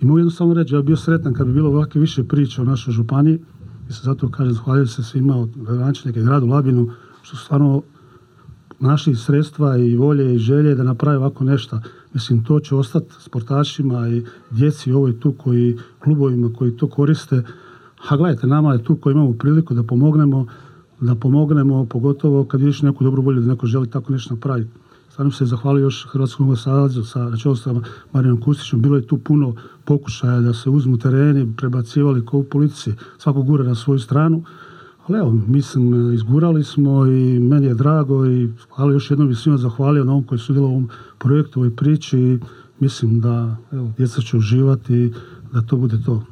I mogu jednostavno reći, ja bih bio sretan kad bi bilo ovakve više priča o našoj županiji. I se zato kažem, zahvaljujem se svima od gradonačelnika i gradu Labinu, što su stvarno našli sredstva i volje i želje da naprave ovako nešto. Mislim, to će ostati sportašima i djeci ovoj tu koji, klubovima koji to koriste. A gledajte, nama je tu koji imamo priliku da pomognemo, pogotovo kad vidiš neku dobru volju da neko želi tako nešto napraviti. Stvarno se zahvalio još Hrvatskom nogometnom savezu na čelu sa Marijanom Kustićem. Bilo je tu puno pokušaja da se uzmu tereni, prebacivali kao u politici, svako gura na svoju stranu. Ali evo, mislim, izgurali smo i meni je drago i hvala još jednom bi svima zahvalio na ovom koji su sudjelovali u ovom projektu, ovoj priči i mislim da evo, djeca će uživati i da to bude to.